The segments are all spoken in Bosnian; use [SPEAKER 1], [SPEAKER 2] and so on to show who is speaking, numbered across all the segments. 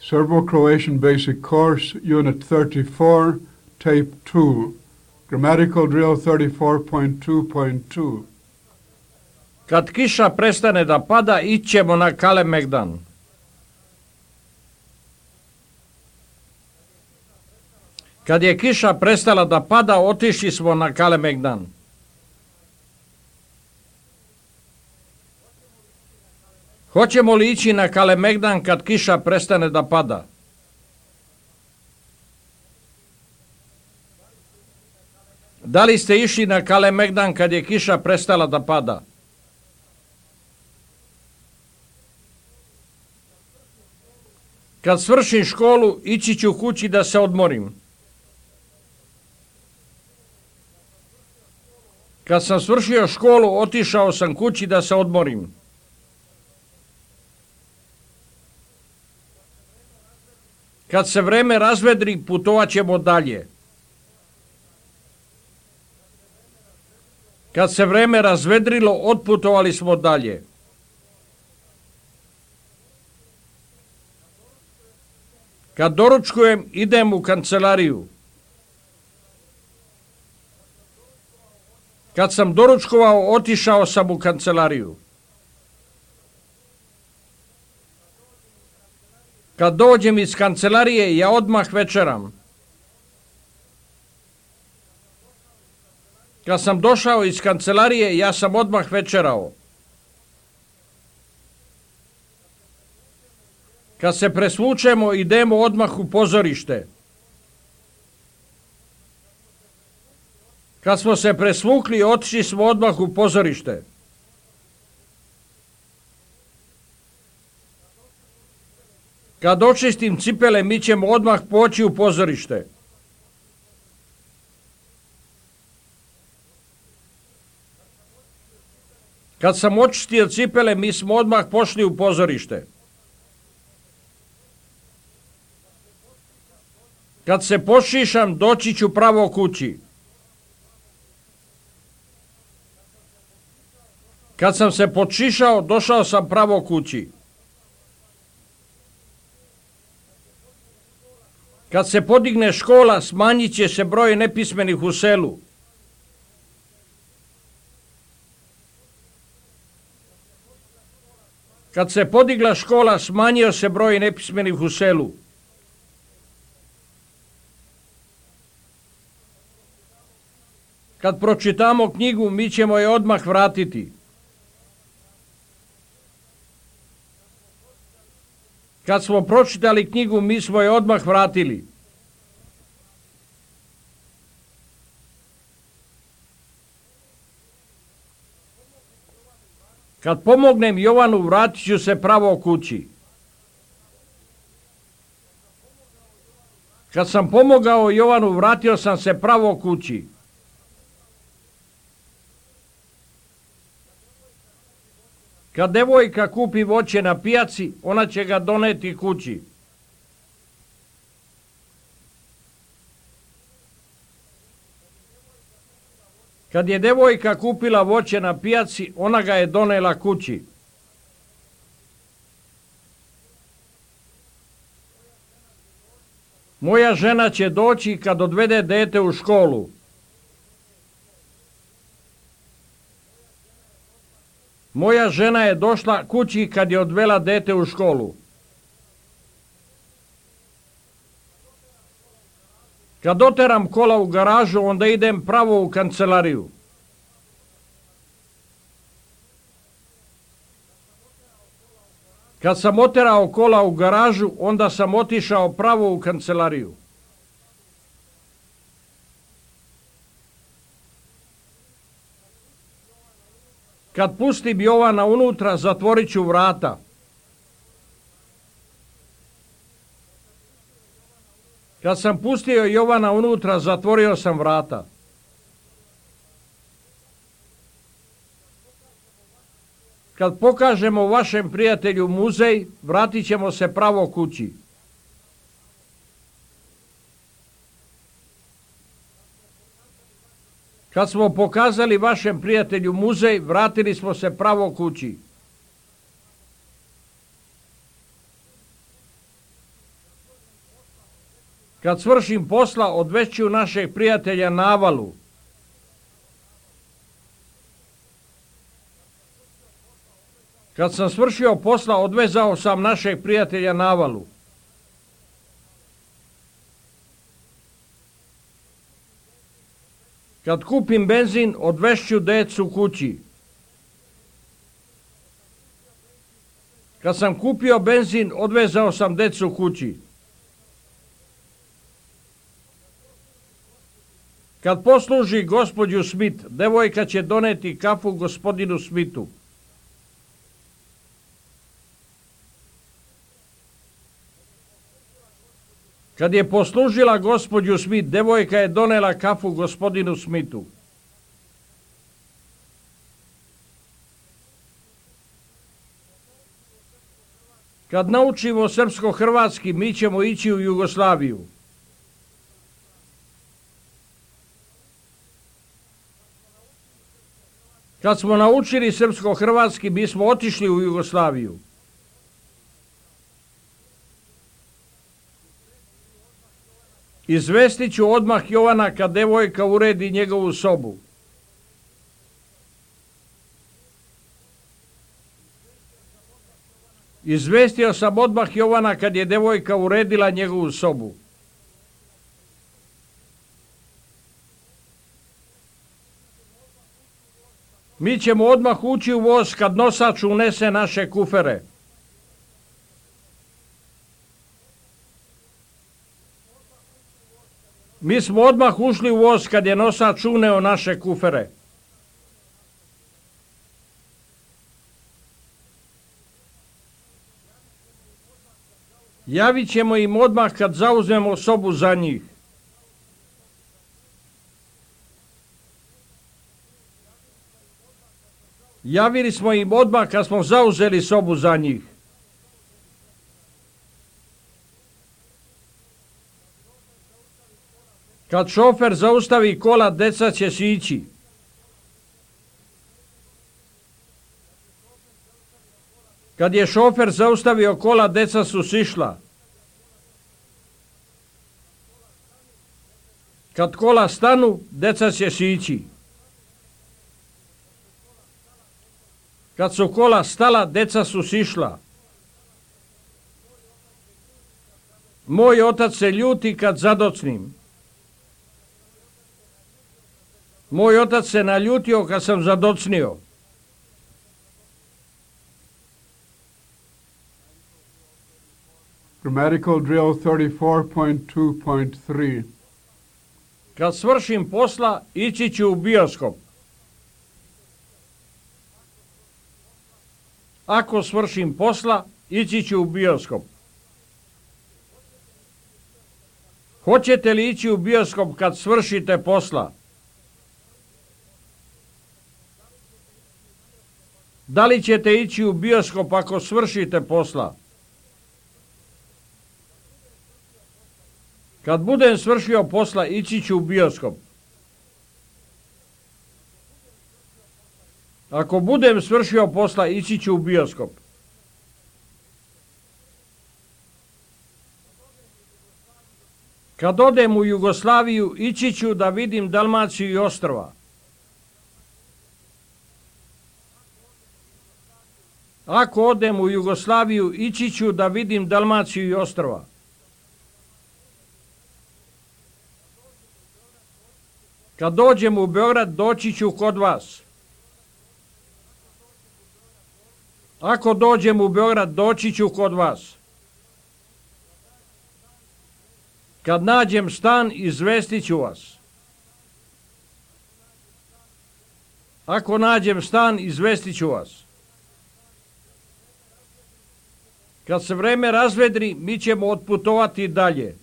[SPEAKER 1] Serbo-Croatian Basic Course, Unit 34, Tape 2, Grammatical Drill 34.2.2.
[SPEAKER 2] Kad kiša prestane da pada, ićemo na Kalemegdan. Kad je kiša prestala da pada, otišli smo na Kalemegdan. Hoćemo li ići na Kalemegdan kad kiša prestane da pada? Da li ste išli na Kalemegdan kad je kiša prestala da pada? Kad svršim školu, ići ću kući da se odmorim. Kad sam svršio školu, otišao sam kući da se odmorim. Kad se vreme razvedri, putovat ćemo dalje. Kad se vreme razvedrilo, otputovali smo dalje. Kad doručkujem, idem u kancelariju. Kad sam doručkovao, otišao sam u kancelariju. Kad dođem iz kancelarije, ja odmah večeram. Kad sam došao iz kancelarije, ja sam odmah večerao. Kad se presvučemo, idemo odmah u pozorište. Kad smo se presvukli, otišli smo odmah u pozorište. Kad očistim cipele, mi ćemo odmah poći u pozorište. Kad sam očistio cipele, mi smo odmah pošli u pozorište. Kad se pošišam, doći ću pravo kući. Kad sam se počišao, došao sam pravo kući. Kad se podigne škola, smanjit će se broj nepismenih u selu. Kad se podigla škola, smanjio se broj nepismenih u selu. Kad pročitamo knjigu, mi ćemo je odmah vratiti. Kad smo pročitali knjigu, mi smo je odmah vratili. Kad pomognem Jovanu, vratit ću se pravo kući. Kad sam pomogao Jovanu, vratio sam se pravo kući. Kad devojka kupi voće na pijaci, ona će ga doneti kući. Kad je devojka kupila voće na pijaci, ona ga je donela kući. Moja žena će doći kad odvede dete u školu. Moja žena je došla kući kad je odvela dete u školu. Kad oteram kola u garažu, onda idem pravo u kancelariju. Kad sam oterao kola u garažu, onda sam otišao pravo u kancelariju. Kad pustim Jovana unutra, zatvorit ću vrata. Kad sam pustio Jovana unutra, zatvorio sam vrata. Kad pokažemo vašem prijatelju muzej, vratit ćemo se pravo kući. Kad smo pokazali vašem prijatelju muzej, vratili smo se pravo kući. Kad svršim posla, odvešću našeg prijatelja Navalu. Kad sam svršio posla, odvezao sam našeg prijatelja Navalu. Kad kupim benzin, odvešću decu kući. Kad sam kupio benzin, odvezao sam decu kući. Kad posluži gospođu Smith, devojka će doneti kafu gospodinu Smithu. Kad je poslužila gospođu Smith, devojka je donela kafu gospodinu Smithu. Kad naučimo srpsko-hrvatski, mi ćemo ići u Jugoslaviju. Kad smo naučili srpsko-hrvatski, mi smo otišli u Jugoslaviju. Izvestit ću odmah Jovana kad devojka uredi njegovu sobu. Izvestio sam odmah Jovana kad je devojka uredila njegovu sobu. Mi ćemo odmah ući u voz kad nosač unese naše kufere. Mi smo odmah ušli u voz kad je nosač uneo naše kufere. Javit ćemo im odmah kad zauzmemo sobu za njih. Javili smo im odmah kad smo zauzeli sobu za njih. Kad šofer zaustavi kola, deca će sići. Kad je šofer zaustavio kola, deca su sišla. Kad kola stanu, deca će sići. Kad su kola stala, deca su sišla. Moj otac se ljuti kad zadocnim. Moj otac se naljutio kad sam zadocnio.
[SPEAKER 1] Grammatical drill 34.2.3.
[SPEAKER 2] Kad svršim posla, ići ću u bioskop. Ako svršim posla, ići ću u bioskop. Hoćete li ići u bioskop kad svršite posla? Da li ćete ići u bioskop ako svršite posla? Kad budem svršio posla, ići ću u bioskop. Ako budem svršio posla, ići ću u bioskop. Kad odem u Jugoslaviju, ići ću da vidim Dalmaciju i ostrva. Ako odem u Jugoslaviju, ići ću da vidim Dalmaciju i ostrva. Kad dođem u Beograd, doći ću kod vas. Ako dođem u Beograd, doći ću kod vas. Kad nađem stan, izvestit ću vas. Ako nađem stan, izvestit ću vas. Kad se vreme razvedri, mi ćemo otputovati dalje.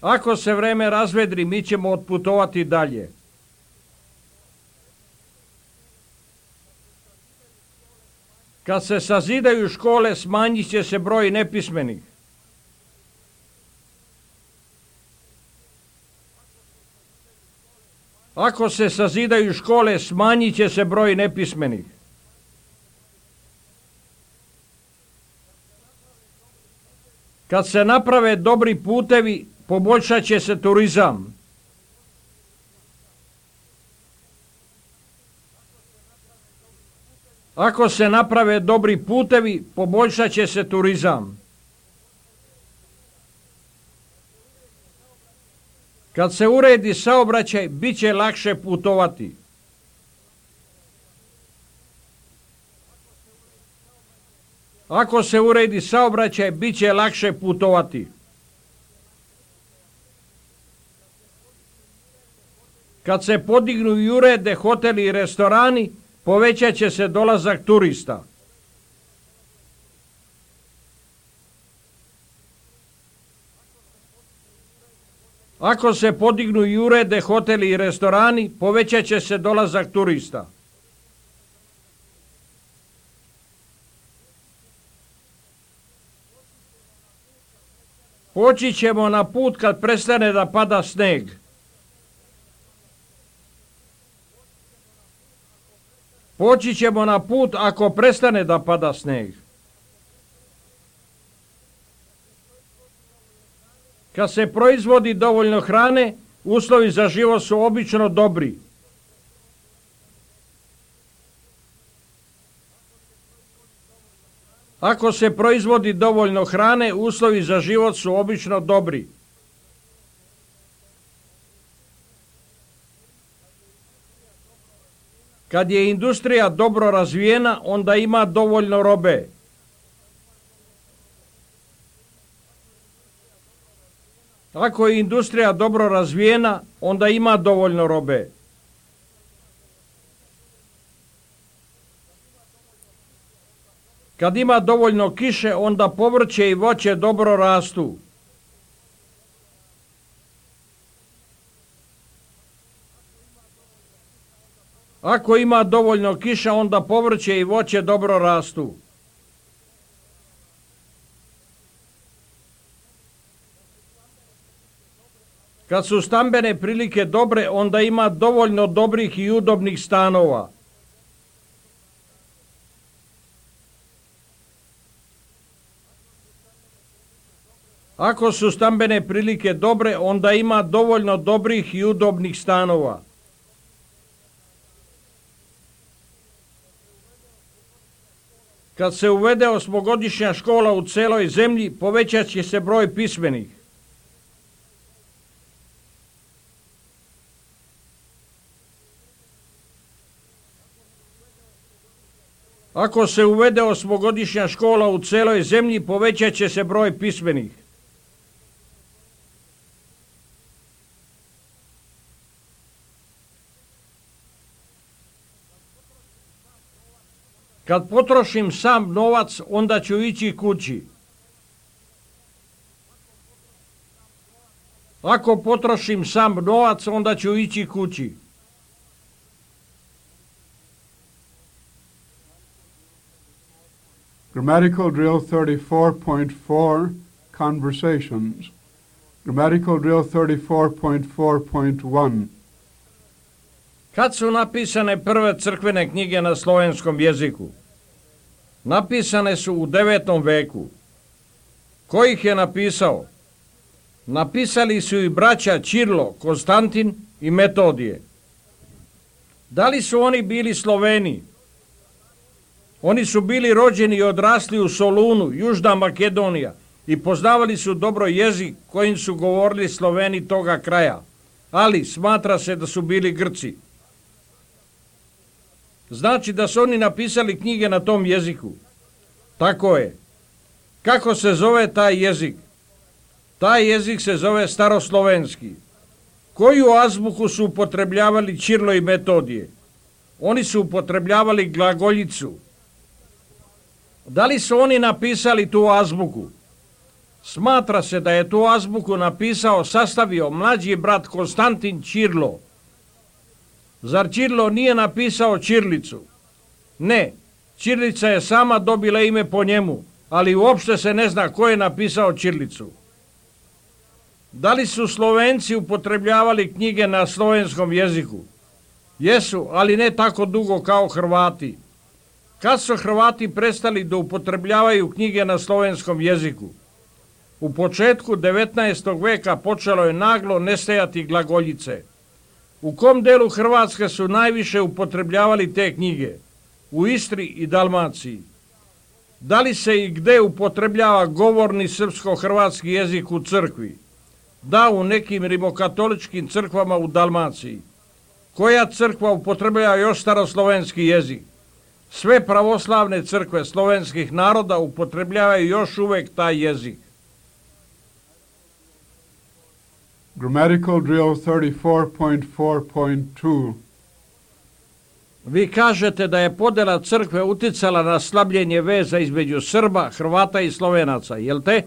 [SPEAKER 2] Ako se vreme razvedri, mi ćemo otputovati dalje. Kad se sazidaju škole, smanjit će se broj nepismenih. Ako se sazidaju škole, smanjit će se broj nepismenih. Kad se naprave dobri putevi, poboljšat će se turizam. Ako se naprave dobri putevi, poboljšat će se turizam. Kad se uredi saobraćaj, bit će lakše putovati. Ako se uredi saobraćaj, bit će lakše putovati. Kad se podignu i urede hoteli i restorani, povećat će se dolazak turista. Ako se podignu i urede hoteli i restorani, povećat će se dolazak turista. Poći ćemo na put kad prestane da pada sneg. Poći ćemo na put ako prestane da pada sneg. Kad se proizvodi dovoljno hrane, uslovi za život su obično dobri. Ako se proizvodi dovoljno hrane, uslovi za život su obično dobri. Kad je industrija dobro razvijena, onda ima dovoljno robe. Ako je industrija dobro razvijena, onda ima dovoljno robe. Kad ima dovoljno kiše, onda povrće i voće dobro rastu. Ako ima dovoljno kiša, onda povrće i voće dobro rastu. Kad su stambene prilike dobre, onda ima dovoljno dobrih i udobnih stanova. Ako su stambene prilike dobre, onda ima dovoljno dobrih i udobnih stanova. Kad se uvede 8-godišnja škola u celoj zemlji, povećat će se broj pismenih. Ako se uvede 8-godišnja škola u celoj zemlji, povećat će se broj pismenih. Kad potrošim sam novac, onda ću ići kući. Ako potrošim sam novac, onda ću ići kući.
[SPEAKER 1] Grammatical drill 34.4, conversations. Grammatical drill 34.4.1.
[SPEAKER 2] Kad su napisane prve crkvene knjige na slovenskom jeziku? Napisane su u 9. veku. Ko ih je napisao? Napisali su i braća Ćirilo, Konstantin i Metodije. Da li su oni bili Sloveni? Oni su bili rođeni i odrasli u Solunu, Južna Makedonija, i poznavali su dobro jezik kojim su govorili Sloveni toga kraja, ali smatra se da su bili Grci. Znači da su oni napisali knjige na tom jeziku. Tako je. Kako se zove taj jezik? Taj jezik se zove staroslovenski. Koju azbuku su upotrebljavali Ćirilo i Metodije? Oni su upotrebljavali glagoljicu. Da li su oni napisali tu azbuku? Smatra se da je tu azbuku sastavio mlađi brat Konstantin Ćirilo. Zar Ćirilo nije napisao ćirilicu? Ne, ćirilica je sama dobila ime po njemu, ali uopšte se ne zna ko je napisao ćirilicu. Da li su Slovenci upotrebljavali knjige na slovenskom jeziku? Jesu, ali ne tako dugo kao Hrvati. Kad su Hrvati prestali da upotrebljavaju knjige na slovenskom jeziku? U početku 19. veka počelo je naglo nestajati glagoljice. U kom delu Hrvatske su najviše upotrebljavali te knjige? U Istri i Dalmaciji. Da li se i gde upotrebljava govorni srpsko-hrvatski jezik u crkvi? Da, u nekim rimokatoličkim crkvama u Dalmaciji. Koja crkva upotrebljava još staroslovenski jezik? Sve pravoslavne crkve slovenskih naroda upotrebljavaju još uvek taj jezik.
[SPEAKER 1] Grammatical drill 34.4.2.
[SPEAKER 2] Vi kažete da je podela crkve uticala na slabljenje veza između Srba, Hrvata i Slovenaca, jel te?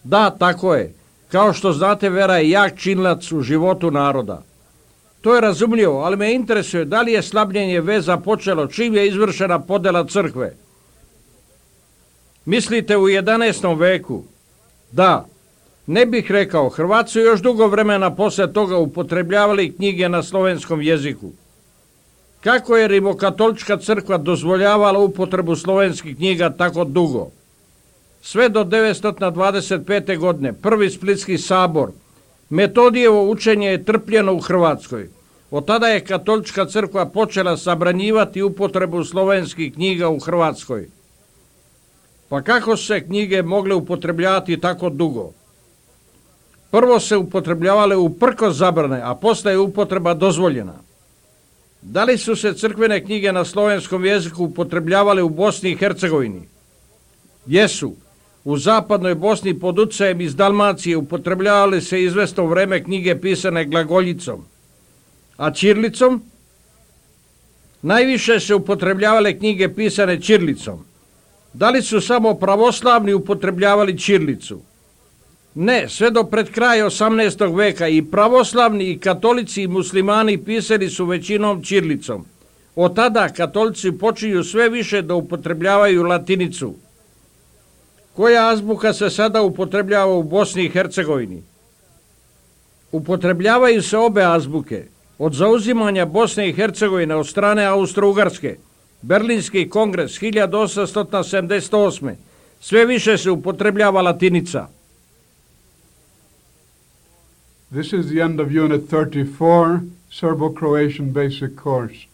[SPEAKER 2] Da, tako je. Kao što znate, vera je jak činilac u životu naroda. To je razumljivo, ali me interesuje da li je slabljenje veza počelo čim je izvršena podela crkve. Mislite u 11. veku? Da. Ne bih rekao, Hrvati su još dugo vremena posle toga upotrebljavali knjige na slovenskom jeziku. Kako je rimokatolička crkva dozvoljavala upotrebu slovenskih knjiga tako dugo? Sve do 925. godine, prvi Splitski sabor, Metodijevo učenje je trpljeno u Hrvatskoj. Od tada je katolička crkva počela zabranjivati upotrebu slovenskih knjiga u Hrvatskoj. Pa kako su se knjige mogle upotrebljavati tako dugo? Prvo se upotrebljavale uprkos zabrane, a posle je upotreba dozvoljena. Da li su se crkvene knjige na slovenskom jeziku upotrebljavale u Bosni i Hercegovini? Jesu. U zapadnoj Bosni pod utjecajem iz Dalmacije upotrebljavale se izvesno vreme knjige pisane glagoljicom. A ćirilicom? Najviše se upotrebljavale knjige pisane ćirilicom. Da li su samo pravoslavni upotrebljavali ćirilicu? Ne, sve do pred kraj 18. veka i pravoslavni i katolici i muslimani pisali su većinom ćirilicom. Od tada katolici počinju sve više da upotrebljavaju latinicu. Koja azbuka se sada upotrebljava u Bosni i Hercegovini? Upotrebljavaju se obe azbuke. Od zauzimanja Bosne i Hercegovine od strane Austro-Ugarske, Berlinski kongres 1878. Sve više se upotrebljava latinica.
[SPEAKER 1] This is the end of Unit 34, Serbo-Croatian Basic Course.